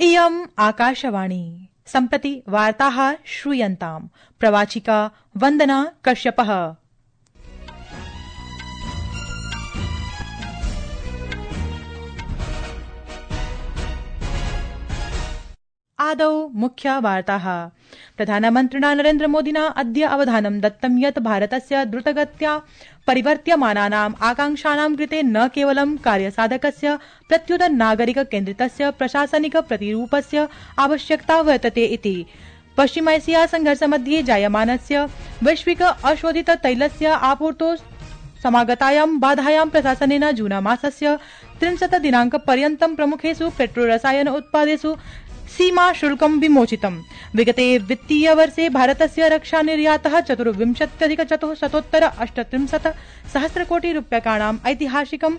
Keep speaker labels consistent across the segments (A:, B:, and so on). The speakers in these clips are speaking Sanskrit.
A: इयम् आकाशवाणी सम्प्रति वार्ताः श्रूयन्ताम्। प्रवाचिका वन्दना कश्यपः। आदौ मुख्य वार्ताः। प्रधानमन्त्रिणा नरेन्द्रमोदिना अद्य अवधानं दत्तं यत् भारतस्य द्रुतगत्या परिवर्त्यमानानाम् आकांक्षाणां कृते न केवलं कार्यसाधकस्य प्रत्युत नागरिक केन्द्रितस्य प्रशासनिक प्रतिरूपस्य आवश्यकता वर्तते इति पश्चिमैशिया संघर्षमध्ये जायमानस्य वैश्विक अशोधित तैलस्य आपूर्तौ समागतायां बाधायां प्रशासनेन जूनमासस्य 30 दिनाङ्कपर्यन्तं प्रमुखेषु पेट्रोरसायन उत्पादेषु सीमा शुल्कं विमोचितम्। विगते वित्तीय वर्षे भारतस्य रक्षा निर्यातः 24,438 सहस्रकोटि रूप्यकाणाम् ऐतिहासिकं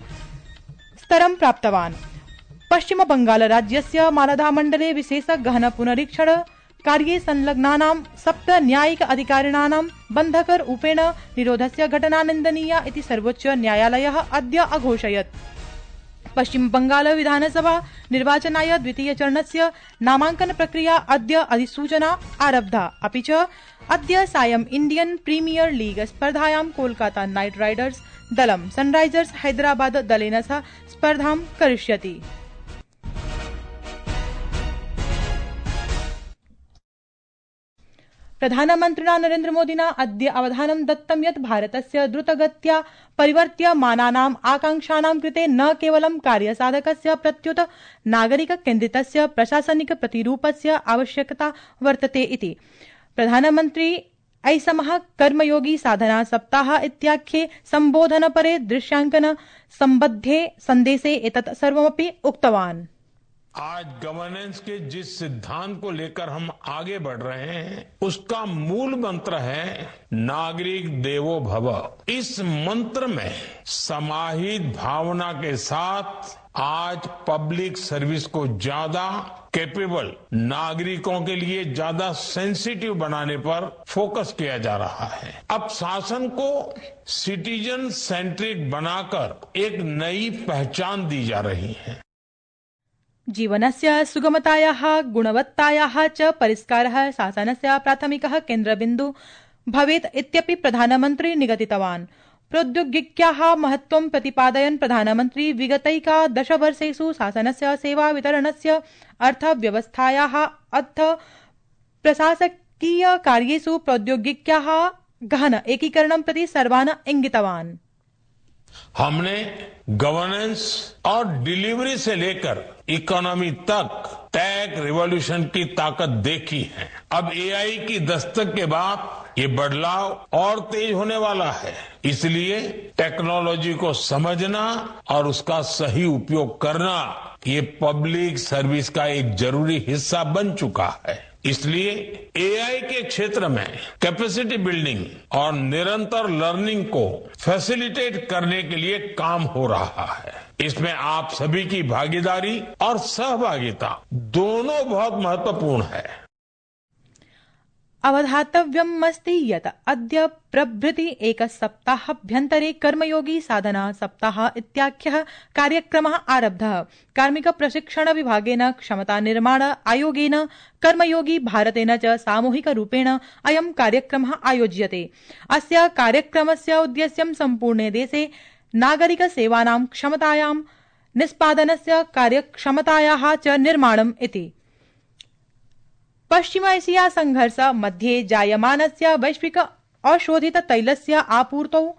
A: स्तरं प्राप्तवान्। पश्चिम बंगाल राज्यस्य मालदा मण्डले विशेष गहन पुनरीक्षण कार्ये संलग्नानां 7 न्यायिक अधिकारिणां बन्धकरूपेण निरोधस्य घटना निन्दनीया इति सर्वोच्च न्यायालयः अद्य अघोषयत्। पश्चिम बंगाल विधानसभा निर्वाचनाय द्वितीय चरणस्य नामांकन प्रक्रिया अद्य अधिसूचना आरब्धा। अपि च अद्य सायं इंडियन प्रीमियर लीग स्पर्धायां कोलकाता नाइट राइडर्स दलं सनराइजर्स हैदराबाद दलेन सह स्पर्धां करिष्यति। प्रधानमन्त्रिणा नरेन्द्रमोदिना अद्य अवधानं दत्तं यत् भारतस्य द्रुतगत्या परिवर्त्यमानानाम् आकांक्षाणां कृते न केवलं कार्यसाधकस्य प्रत्युत नागरिक केन्द्रितस्य प्रशासनिक प्रतिरूपस्य आवश्यकता वर्तते इति प्रधानमन्त्री ऐसमः कर्मयोगी साधना सप्ताह इत्याख्ये सम्बोधनपरे दृश्यांकन सम्बद्धे संदेशे एतत् सर्वमपि उक्तवान्।
B: आज गवर्नेंस के जिस सिद्धांत को लेकर हम आगे बढ़ रहे हैं उसका मूल मंत्र है नागरिक देवो भव। इस मंत्र में समाहित भावना के साथ आज पब्लिक सर्विस को ज्यादा कैपेबल, नागरिकों के लिए ज्यादा सेंसिटिव बनाने पर फोकस किया जा रहा है। अब शासन को सिटीजन सेंट्रिक बनाकर एक नई पहचान दी जा रही है।
A: जीवनस्य सुगमतायाः गुणवत्तायाः च परिष्कारः शासनस्य प्राथमिकः केन्द्रबिन्दुः भवेत् इत्यपि प्रधानमन्त्री निगदितवान्। प्रौद्योगिक्याः महत्त्वं प्रतिपादयन् प्रधानमन्त्री विगतैकादश वर्षेषु शासनस्य सेवा वितरणस्य अर्थव्यवस्थायाः अर्थ प्रशासकीय कार्येषु प्रौद्योगिक्याः गहन एकीकरणं प्रति सर्वान् इंगितवान्।
B: हमने गवर्नेंस और डिलीवरी से लेकर इकोनॉमी तक टेक रिवॉल्यूशन की ताकत देखी है। अब एआई की दस्तक के बाद ये बदलाव और तेज होने वाला है। इसलिए टेक्नोलॉजी को समझना और उसका सही उपयोग करना ये पब्लिक सर्विस का एक जरूरी हिस्सा बन चुका है। इसलिए एआई के क्षेत्र में कैपेसिटी बिल्डिंग और निरंतर लर्निंग को फैसिलिटेट करने के लिए काम हो रहा है। इसमें आप सभी की भागीदारी और सहभागिता दोनों बहुत महत्वपूर्ण है।
A: अवधातव्यमस्ति यत् अद्य प्रभृति एक सप्ताहाभ्यन्तरे कर्मयोगी साधना सप्ताह इत्याख्यः कार्यक्रमः आरब्धः। कार्मिक प्रशिक्षण विभागेन, क्षमता निर्माण आयोगेन, कर्मयोगी भारतेन च सामूहिक रूपेण अयं कार्यक्रमः आयोज्यते। अस्य कार्यक्रमस्य उद्देश्यं सम्पूर्णे देशे नागरिक सेवानां क्षमतायां निष्पादनस्य कार्यक्षमतायाः च निर्माणम् इति। पश्चिम एशिया संघर्ष मध्ये जायमानस्य वैश्विक अशोधित तैलस्य आपूर्तौ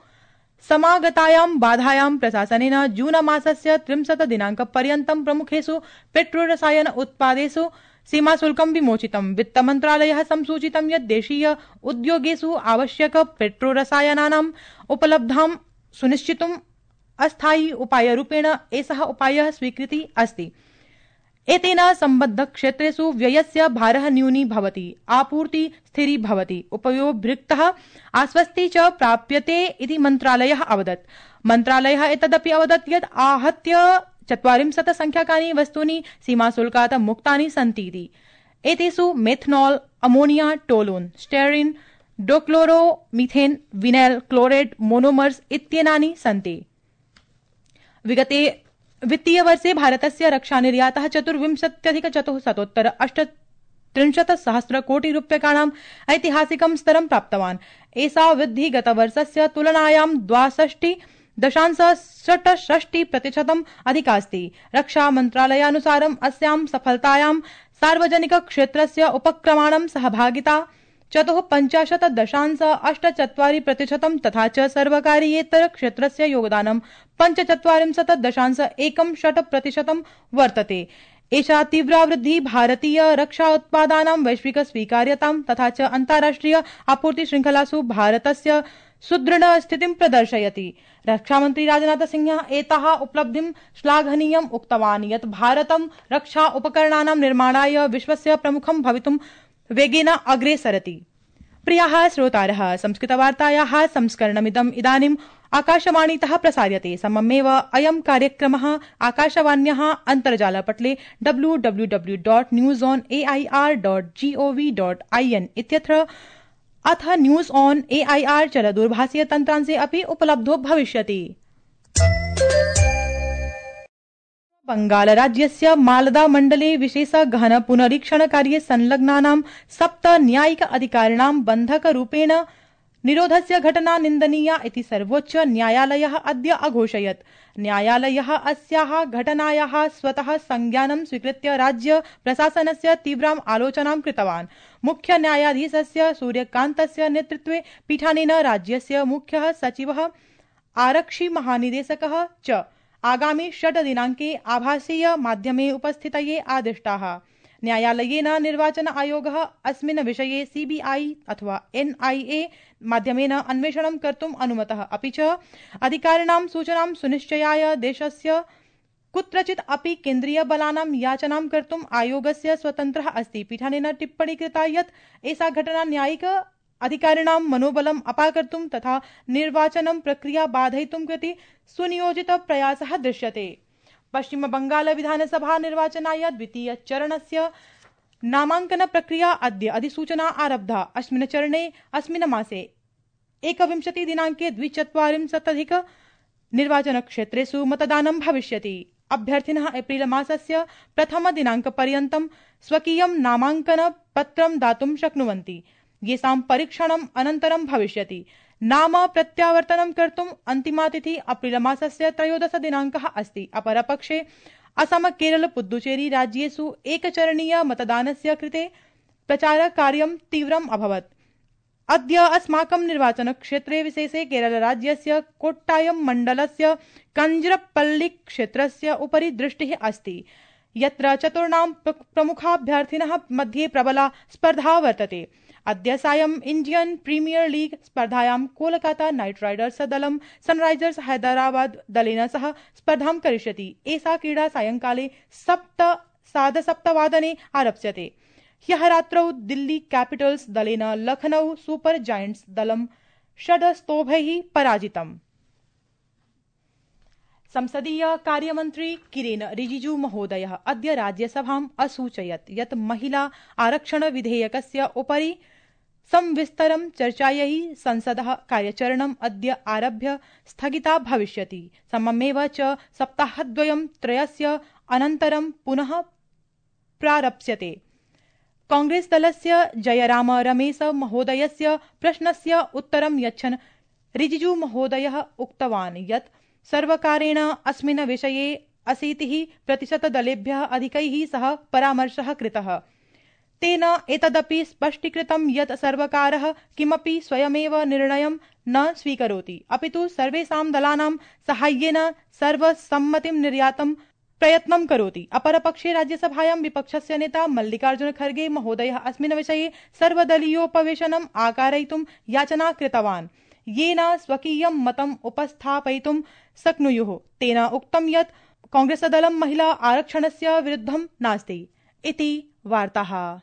A: समागतायां बाधायां प्रशासनेन जून मासस्य 30 दिनाङ्कपर्यन्तं प्रमुखेषु पेट्रोरसायन उत्पादेषु सीमाशुल्कं विमोचितम्। वित्तमन्त्रालयः संसूचितं यत् देशीय उद्योगेषु आवश्यक पेट्रोरसायनानाम् उपलब्धां सुनिश्चितुम् अस्थायी उपायरूपेण एषः उपायः स्वीकृति अस्ति। एतेन सम्बद्ध क्षेत्रेषु व्ययस्य भारः न्यूनी भवति, आपूर्ति स्थिरी भवति, उपयोगभृक्तः आश्वस्ति च प्राप्यते इति मन्त्रालयः अवदत्। मन्त्रालयः एतदपि अवदत् यत् आहत्य 40 संख्याकानि वस्तूनि सीमाशुल्कात् मुक्तानि सन्तीति। एतेषु methanol, ammonia, toluene, styrene, dichloro methane, vinyl chloride monomers इत्येनानि सन्ति। विगते वित्तीयवर्षे भारतस्य रक्षानिर्यातः 24,438 कोटि रूप्यकाणां ऐतिहासिकं स्तरं प्राप्तवान्। एषा वृद्धिः गतवर्षस्य तुलनायां 62.66% अधिकास्ति। रक्षा मन्त्रालयानुसारम् अस्यां सफलतायां सार्वजनिक क्षेत्रस्य उपक्रमाणां सहभागिता 54.84% तथा च सर्वकारीयेतर क्षेत्रस्य योगदानं 45.16% वर्तते। एषा तीव्रा वृद्धिः भारतीय रक्षा उत्पादानां वैश्विक स्वीकार्यतां तथा च अन्ताराष्ट्रिय आपूर्ति श्रृंखलासु भारतस्य सुदृढ स्थितिं प्रदर्शयति। रक्षामन्त्री राजनाथ सिंहः एताः उपलब्धिं श्लाघनीयम् उक्तवान् यत् भारतं रक्षा उपकरणानां निर्माणाय विश्वस्य प्रमुखं भवितुं वेगेन अग्रेसरति। प्रियाः श्रोतारः, संस्कृतवार्तायाः संस्करणमिदम् इदानीम् आकाशवाणीतः प्रसार्यते। सममेव अयं कार्यक्रमः आकाशवाण्याः अन्तर्जालपटले www.newsonair.gov.in इत्यत्र अथ न्यूज ऑन AIR चलदूरभाषीय तन्त्रांशे अपि उपलब्धो भविष्यति। बंगालराज्यस्य मालदा मण्डले विशेष गहन पुनरीक्षण कार्ये संलग्नानां 7 न्यायिक अधिकारिणां बन्धकरूपेण निरोधस्य घटना निन्दनीया इति सर्वोच्च न्यायालयः अद्य अघोषयत्। न्यायालयः अस्याः घटनायाः स्वतः संज्ञानं स्वीकृत्य राज्य प्रशासनस्य तीव्राम् आलोचनां कृतवान्। मुख्य न्यायाधीशस्य सूर्यकान्तस्य नेतृत्वे पीठानेन राज्यस्य मुख्यः सचिवः आरक्षि महानिदेशकः च आगामि 6 दिनाङ्के आभासीय माध्यमे उपस्थितये आदिष्टाः। न्यायालयेन निर्वाचन आयोगः अस्मिन् विषये CBI अथवा NIA माध्यमेन अन्वेषणं कर्तुम् अनुमतः। अपि च अधिकारिणां सूचनां सुनिश्चयाय देशस्य कुत्रचित् अपि केन्द्रीय बलानां याचनां कर्तुम् आयोगस्य स्वतन्त्रः अस्ति। पीठानेन टिप्पणी कृता यत् एषा घटना न्यायिक अधिकारिणां मनोबलम् अपाकर्तुं तथा निर्वाचनं प्रक्रिया बाधयितुं कृते सुनियोजित प्रयासः दृश्यते। पश्चिम बंगाल विधानसभा निर्वाचनाय द्वितीय चरणस्य नामांकन प्रक्रिया अद्य अधिसूचना आरब्धा। अस्मिन् चरणे अस्मिन् मासे 21 दिनाङ्के 240 निर्वाचन क्षेत्रेषु मतदानं भविष्यति। अभ्यर्थिनः एप्रिल मासस्य प्रथम दिनाङ्कपर्यन्तं स्वकीयं नामाङ्कन पत्रं दातुं शक्नुवन्ति, येषां परीक्षणम् अनन्तरं भविष्यति। नाम प्रत्यावर्तनं कर्तुम् अन्तिमा तिथि अप्रिल मासस्य 13 दिनाङ्कः अस्ति। अपरपक्षे असम, केरल, पुद्दुचेरी राज्येषु एकचरणीय मतदानस्य कृते प्रचारकार्यं तीव्रम् अभवत्। अद्य अस्माकं निर्वाचन क्षेत्रे विशेषे केरल राज्यस्य कोट्टायम मण्डलस्य कंजरपल्ली क्षेत्रस्य उपरि दृष्टिः अस्ति, यत्र चतुर्णां प्रमुखाभ्यर्थिनः मध्ये प्रबला स्पर्धा वर्तते। अद्य सायं इंडियन प्रीमियर लीग स्पर्धायां कोलकाता नाइट राइडर्स दलं सनराइजर्स हैदराबाद दलेन सह स्पर्धां करिष्यति। एषा क्रीडा सायंकाले 7:30 आरप्स्यते। ह्यः रात्रौ दिल्ली कैपिटल्स दलेन लखनऊ सुपर जायंट्स दलं 6 स्तोभैः पराजितम्। संसदीय कार्यमन्त्री किरेन रिजिजू महोदयः अद्य राज्यसभाम् असूचयत् यत् महिला आरक्षण विधेयकस्य उपरि संविस्तरं चर्चायै संसदः कार्यचरणम् अद्य आरभ्य स्थगिता भविष्यति। सममेव च सप्ताहद्वयं त्रयस्य अनन्तरं पुनः प्रारप्स्यते। कांग्रेस दलस्य जयराम रमेश महोदयस्य प्रश्नस्य उत्तरं यच्छन् रिजिजू महोदयः उक्तवान् यत् सर्वकारेण अस्मिन् विषये 80% दलेभ्यः अधिकैः सह परामर्शः कृतः। तेन एतदपि स्पष्टीकृतं यत् सर्वकारः किमपि स्वयमेव निर्णयं न स्वीकरोति, अपितु सर्वेषां दलानां साहाय्येन सर्वसम्मतिं निर्यातं प्रयत्नं करोति। अपरपक्षे राज्यसभायां विपक्षस्य नेता मल्लिकार्जुन खर्गे महोदयः अस्मिन् विषये सर्वदलीयोपवेशनम् आकारयितुं याचना कृतवान्, येन स्वकीयं मतम् उपस्थापयितुं शक्नुयुः। तेन उक्तं यत् कांग्रेसदलं महिला आरक्षणस्य विरुद्धं नास्ति इति वार्ताः।